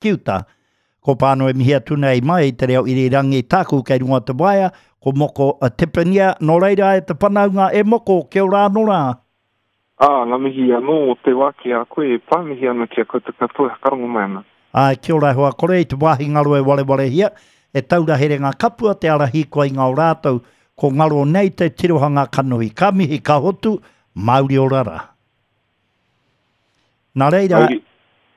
Ki uta. Ko Pāno e mihi atu nei mai i te reo irirangi tāku kei runga o te waea, ko Moko Tepania, nō reira e te whanaunga e Moko, kia ora anō rā. Ā, ngā mihi anō o te wā ki a koe e pā, mihi ana ki a koutou katoa e whakarongo mai ana. Āe, kia ora e hoa, kore i te wāhi ngaro e warewarehia, e taura herenga kapua te ara hīkoi ngao rātou, ko ngaro nei te tirohanga kanohi. Ka mihi, ka hotu, Māori ora rā. Nā reira,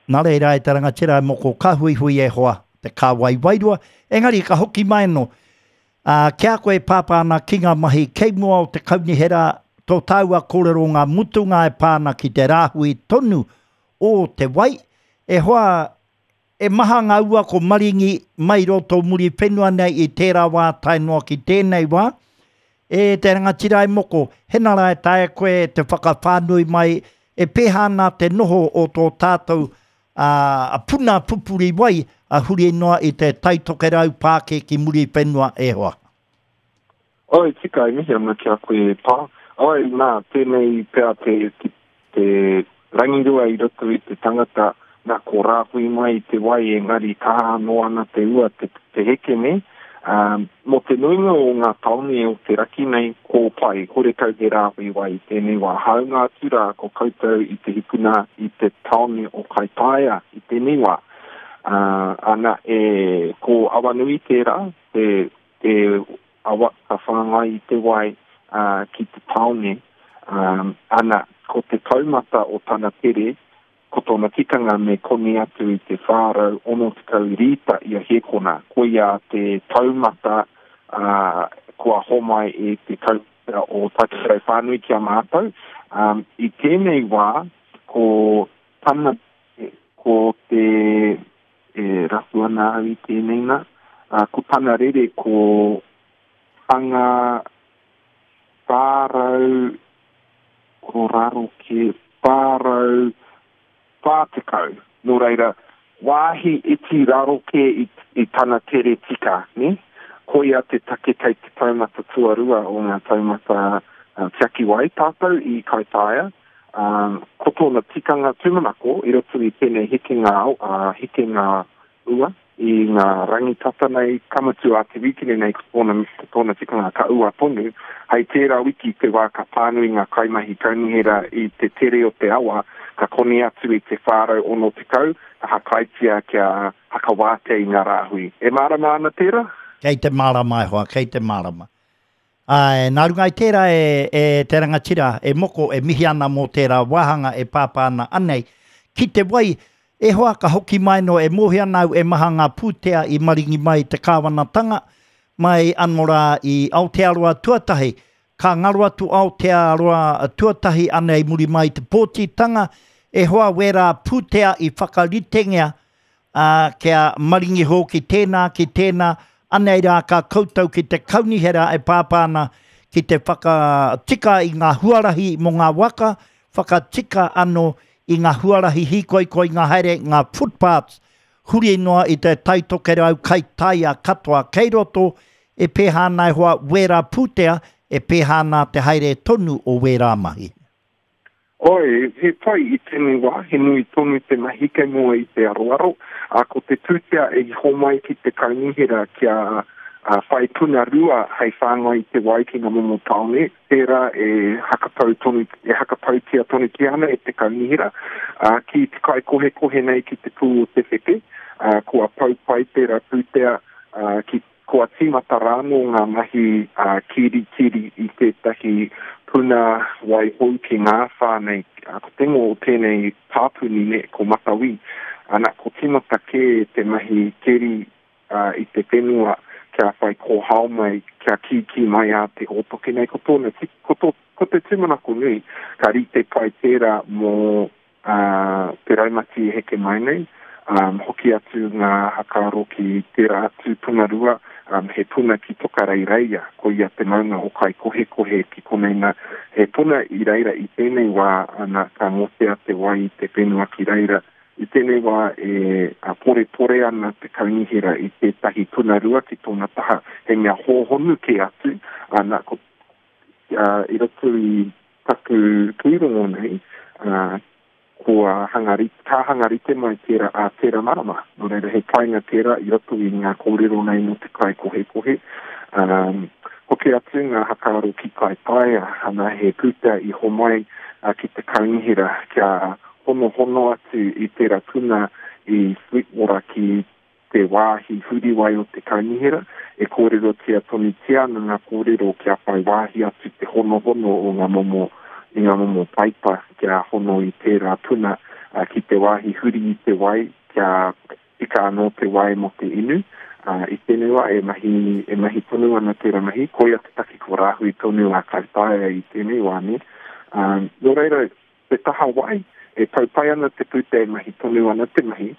nā reira e te rangatira e moko ka huihui e hoa te kāwai wairua, engari ka hoki mai anō. Ā, ki a koe e pāpā ana ki ngā mahi kei mua o te kaunihera, tō tāua kōrero ngā mutunga e pā ana ki te rāhui tonu o te wai, e hoa, E maha ngā ua ko maringi mai roto Muriwhenua nei i tērā wā tae noa ki tēnei wā. E te rangatira e moko, hena rā e taea koe te whakawhānui mai e pēhā ana te noho o tō tātou a puna pupuri wai a huri noa i te Tai Tokerau pākē ki Muriwhenua e hoa. Oi, tika, e mihi ana ki a koe e pā. Oi, nā, tēnei pea te, te, te rangirua i roto i te tangata, nā, ko rāhui mai i te wai engari kaha anō ana te ua te, te heke nei. Um, mō te nuinga o ngā tāone o te raki nei, ko pai, horekau he rāhui wai i tēnei wā. Hāunga atu rā, ko koutou i te hikuna i te tāone o Kaitaia i tēnei wā. Uh, ana, e, ko Awanui tērā, te, te awa ka whāngai i te wai ki te tāone, ana, ko te taumata o tana tere, ko tōna tikanga me koni atu i te 460 rīta ia hēkona, koia te taumata kua homai e te kaunihera o Taitokerau whānui ki a mātou. I tēnei wā, ko tana, ko te E rapu ana au i tēnei nā. Ā, ko tana rere ko hanga 400, ko raro kē, 440. Nō reira, wāhi iti raro kē i, i tana tere tika, nē? Koia te take kei te taumata tuarua o ngā taumata tiaki wai tātou i Kaitaia. Ā, ko tōna tikanga tūmanako i roto i tēnei hekenga ao, ā, hekenga ua i ngā rangi tata nei, ka mutu ā te wīkene nei ko tōna, ko tōna tikanga ka ua tonu, hei tērā wiki te wā ka pānui ngā kaimahi kaunihera i te tere o te awa, ka koni atu i te 460, ka hakaitia kia hakawātea i ngā rāhui. E mārama ana tērā? Kei te mārama e hoa, kei te mārama. Āe, nā runga i tērā e, e te rangatira, e Moko, e mihi ana mō tērā wāhanga e pāpā ana anei. Ki te wai, e hoa ka hoki mai anō, e mōhio ana au e maha ngā pūtea i maringi mai i te kāwanatanga, mai anō rā i Aotearoa tuatahi, ka ngaro atu Aotearoa tuatahi anei muri mai i te pōtitanga, e hoa wērā pūtea i whakaritengia ā, kia maringi hoki tēnā ki tēnā, anei rā ka koutou ki te kaunihera e pāpā ana ki te whakatika i ngā huarahi mō ngā waka, whakatika anō i ngā huarahi hīkoikoi, ngā haere, ngā footpaths, huri noa i te Tai Tokerau kai taia katoa kei roto, e pēhā ana e hoa wērā pūtea, e pēhā ana te haere tonu o wērā mahi. Oi, he pai i tēnei wā, he nui tonu te mahi kei mua i te aroaro, ā, ko te pūtea i homai ki te kaunihera kia whai puna rua hei whāngai i te wai ki ngā momo tāone, tērā e hakapau tonu, e hakapautia tonutia ana e te kaunihera, ā, ki te kaikohekohe nei ki te pū o te wheke, ā, kua pau pai tērā pūtea, ā, ki Kua tīmata rānō ngā mahi kirikiri i tētahi puna wai hou ki ngā whā nei. Ko te ingoa o tēnei pāpuni nei, ko Matawī. Ana, ko tīmata kē te mahi keri i te whenua kia whai kōhao mai, kia kīkī mai a te hōtoke nei. Ko tōna, ko tō, ko te tūmanako nui, ka rite pai tērā mō ā te raumati e heke mai nei, ā, hoki atu ngā hakaaro ki tērā atu punarua, ā, he puna ki Tokareireia, koia te maunga o Kaikohekohe ki konei nā, he puna i reira i tēnei wā, ana, ka ngotea te wai i te whenua ki reira. I tēnei wā e porepore ana te kaunihera i tētahi punarua ki tōna taha, he mea hōhonu kē atu, ana, ko, ā, i roto i taku pūrongo nei, ā, Kua hanga ka hanga rite mai tērā ā tērā marama. Nō reira, he painga tērā i roto i ngā kōrero nei mō te kaikohekohe. Um, hoki atu ngā hakaaro ki Kaitaia, ana he pūtea i homai ki te kaunihera kia honohono atu i tērā puna i Sweetwater ki te wāhi huriwai o te kaunihera, e kōrerotia tonutia ana ngā kōrero kia whai wāhi atu te honohono o ngā momo, i ngā momo paipa kia hono i tērā puna ki te wāhi huri i te wai kia tika anō te wai mō te inu. I tēnei wā e mahi, e mahi tonu ana tērā mahi, koia te take kua rāhui tonu a Kaitaia i tēnei wā, nē. Nō reira, Te taha wai, e tau pai ana te pūtea e mahi tonu ana te mahi,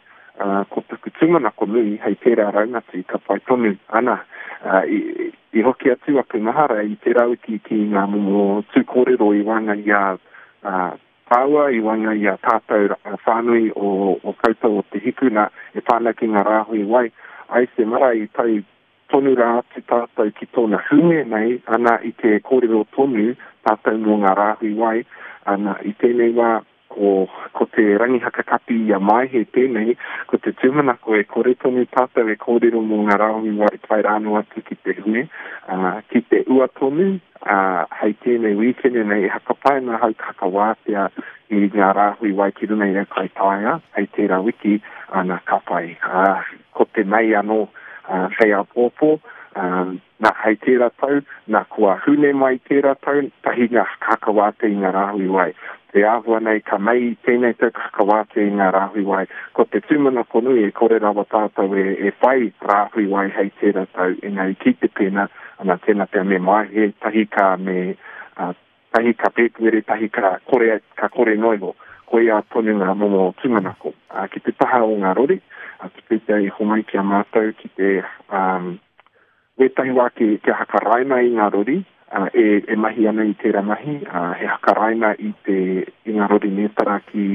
ā, ko taku tūmanako nui hei tērā raumati ka pai tonu ana. Ā, i, i hoki atu aku mahara i tērā wiki ki ngā momo tū kōrero i waenga i a, ā, tāua, i waenga i a tātou whānui o, o koutou o Te Hiku, nā, e pā ana ki ngā rāhui wai. Ai te marae i tau tonu rā atu tātou ki tōna hune nei, ana i te kōrero tonu tātou mō ngā rāhui wai, ana i tēnei wā ko, ko te Rangihaka Kapi i a Maehe tēnei, ko te tūmanako e kore tonu tātou e kōrero mō ngā rāhui wai tae rānō atu ki te hune, ā, ki te ua tonu, ā, hei tēnei wīkene nei e hakapae ana ahau ka hakawātea i ngā rāhui wai ki runga i a Kaitaia hei tērā wiki, ana ka pai. Ā, ko te Mei anō hei āpōpō, nā, hei tērā tau, nā, kua hune mai tērā tau, tahi ngā hakawātea i ngā rāhui wai. Te āhua nei, ka mei tēnei tau ka hakawātea i ngā rāhui wai. Ko te tūmanako nui e kore rawa tātou e, e whai rāhui wai hei tērā tau, engari ki te pēnā, ana, tēnā pea me Maehe, tahi ka me, uh, Tahi ka pēpuere, tahi ka kore, ka kore noa iho. Koia tonu ngā momo tūmanako. Ā, ki te taha o ngā rori, ā, te pūtea i homai ki a mātou ki te, ā, wētahi wā ki, kia hakaraina i ngā rori, ā, e, e mahi ana i tērā mahi, ā, he hakaraina i te, i ngā rori mētara ki,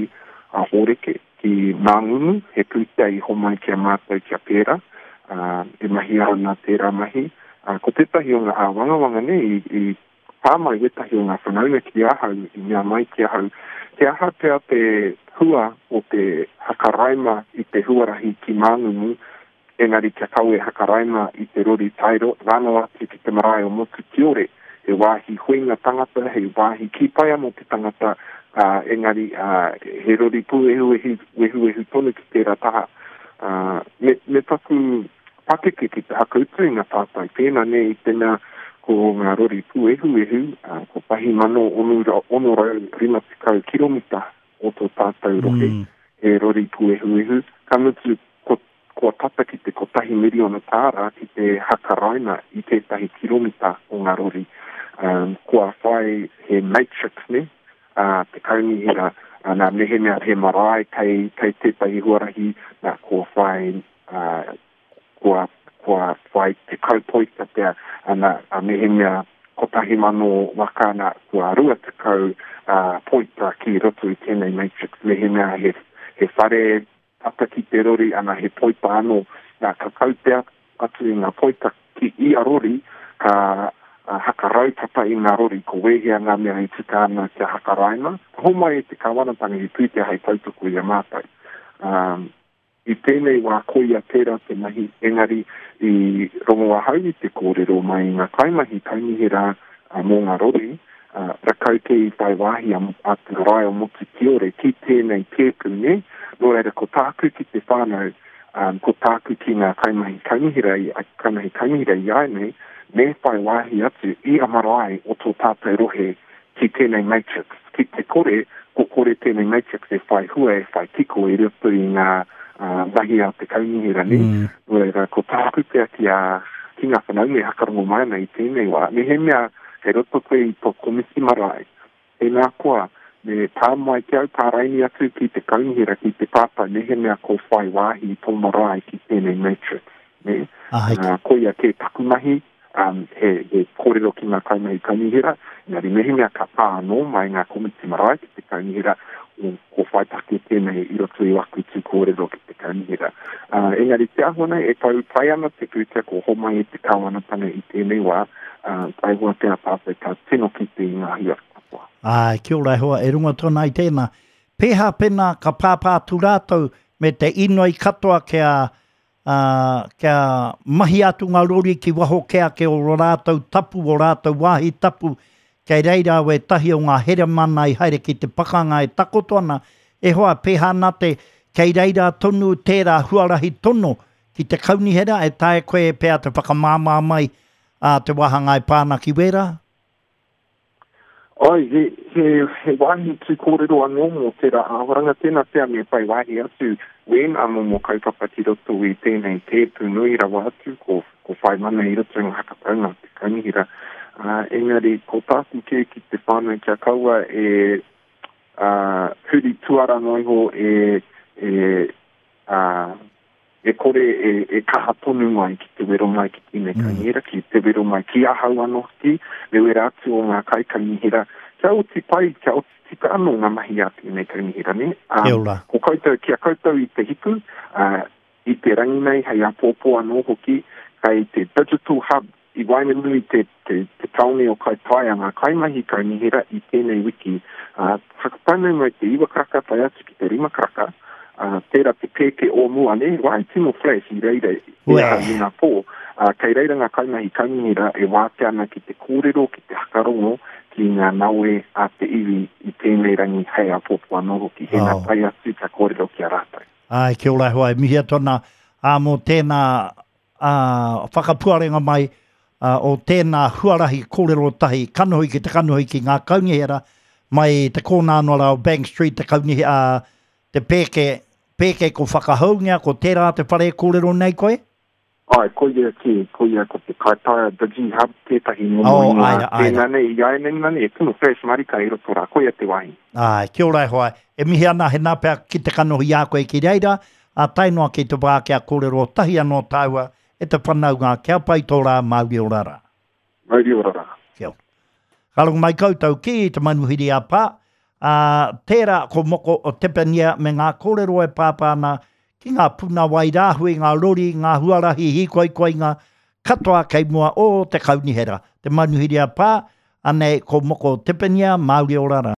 ā, Hōreke, ki Māngungu, he pūtea i homai ki a mātou kia pērā, ā, e mahia ana tērā mahi. Ā, ko tētahi o ngā āwangawanga nei i, i Pā mai wētahi o ngā whanaunga ki ahau i mea mai ki ahau, he aha pea te hua o te hakaraima i te huarahi ki Māngungu, engari kia kawe hakaraima i te rori tae rano atu ki te marae o Motu Kiore, he wāhi huinga tangata, he wāhi kī pai anō te tangata, ā, engari, ā, he rori pūehuehu, wehuwehu tonu ki tērā taha. Ā, me, me taku pakeke ki te hakautu i ngā tātai pēnā nē i te mea ko ngā rori pūehuehu, 1650 kiromita o tō tātou rohe, he rori pūehuehu, ka mutu ko, kua tata ki te kotahi miriona tāra ki te hakaraina i tētahi kiromita o ngā rori. Um, kua whai he matrix nē, a te kaunihera, nā, mehemea he marae kei, kei tētahi huarahi, nā, kua whai ā, kua, kua whai 10 poita pea, ana, ā, mehemea 1,000 waka, ana, kua 20, ā, poita ki roto i tēnei matrix, mehemea he, he whare tata ki te rori, ana, he poita anō, nā, ka kaupea atu i ngā poita ki ia rori, ka haka raupapa i ngā rori, ko wēhea ngā mea e tika ana kia hakaraina, ka homai e te kāwanatanga he pūtea hei tautoko i a mātou. Ā, I tēnei wā koia tērā te mahi, engari i rongo ahau i te kōrero mai i ngā kaimahi kaunihera mō ngā rori, rakau kē i whai wāhi a Te Marae o Motu Kiore ki tēnei tēpu, nē? Nō reira, ko tāku ki te whānau, ko tāku ki ngā kaimahi kaunihera, kaimahi kaunihera i āianei, me whai wāhi atu ia marae o tō tātou rohe ki tēnei matrix. Ki te kore, ko kore tēnei matrix e whai hua, e whai kiko i roto i ngā mahi a te kaunihera, nē? Nō reira, ko tāku pea ki a, ki ngā whanaunga e hakarongo mai ana i tēnei wā, mehemea kei roto koe i tō komiti marae, tēnā koa, me pā mai ki au, pāraini atu ki te kaunihera, ki te pātai mehemea ko whai wāhi tō marae ki tēnei matrix, nē? Koia kē taku mahi, um, he, he kōrero ki ngā kaimahi kaunihera, engari mehemea ka pā anō mai ngā komiti marae ki te kaunihera, o, ko whai take tēnei i roto i waku tū kōrero ki te kaunihera. Uh, engari te āhua nei, e tau pai ana te pūtea ko homai e te kāwanatanga i tēnei wā, uh, taihoa pea tātou ka tino kite i ngā hua katoa. Āe, kia ora e hoa, e runga tonu ai tēnā. Pēhā pēnā ka pāpā atu rātou me te inoi katoa kia, ā, kia mahia atu ngā rori ki waho kē ake o ō rātou tapu, ō rātou wāhi tapu, kei reira wētahi o ngā heremana i haere ki te pakanga e takoto ana, e hoa, pēhā ana te, kei reira tonu tērā huarahi tono ki te kaunihera, e taea koe pea te whakamāmā mai ā te wāhanga e pā ana ki wērā? Āe, he, he, he wāhi tū kōrero anō mō tērā āhuaranga, tēnā pea me whai wāhi atu wēnā momo kaupapa ki roto i tēnei tēpu nui rawa atu, ko, ko whai mana i roto i ngā whakataunga a te kaunihera. Ā, engari, ko tāku kē ki te whānau kia kaua e, ā, huri tuara noa iho e, e, ā, e kore e, e kaha tonu mai ki te wero mai ki tēnei mm. kaunihera, ki te wero mai ki ahau anō hoki, me wera atu o ngā kaikaunihera, kia oti pai, kia oti tika anō ngā mahi a tēnei kaunihera, ne? Um, ko koutou, ki a koutou i te hiku, uh, i te rangi nei, hei apōpō anō hoki, kei te Digital Hub I waenganui te, te, te tāone o Kaitaia ngā kaimahi kaunihera i tēnei wiki, ā, whakataunui mai te iwa karaka tae atu ki te rima karaka, ā, tērā te pēke o mua, nē, wā i tino flash i reira i ahau i ngā pō, ā, kei reira ngā kaimahi kaunihera e wātea ana ki te kōrero, ki te hakarongo ki ngā nawe a te iwi i tēnei rangi hei āpōpō anō hoki, hēnā tae atu ka kōrero ki a rātou. Āe, kia ora e hoa, e mihi atu ana, ā, mō tēnā ā, whakapuarenga mai o tēnā huarahi kōrero tahi kanohi ki te kanohi ki ngā kaunihera mai te kōnā noa rā o Bank Street, te kaunihe, ā, te pēke, pēke ko whakahoungia, ko tērā te whare e kōrero nei koe? Āe, koia kē, koia ko te Kaitaia Digi Hub tētahi momo oh, ingoa aira, aira. tēnā nei, i āianei nei, e tino fresh marika i roto rā, koia te wāhi. Āe, kia ora e hoa, e mihi ana he nā pea ki te kanohi i a koe ki reira, Ā tae noa ki te wā kia kōrero tahi anō tāua e te whanaunga kia pai tō rā Mauri ora rā. Mauri ora rā. Kia ora. Ka rongo mai koutou ki te manuhiri a Pā, ā, tērā ko Moko o Tepania me ngā kōrero e pāpā ana ki ngā puna wai rāhui, ngā rori, ngā huarahi hīkoikoinga katoa kei mua o te kaunihera. Te manuhiri a Pā, anei ko Moko o Tepania, Mauri ora rā.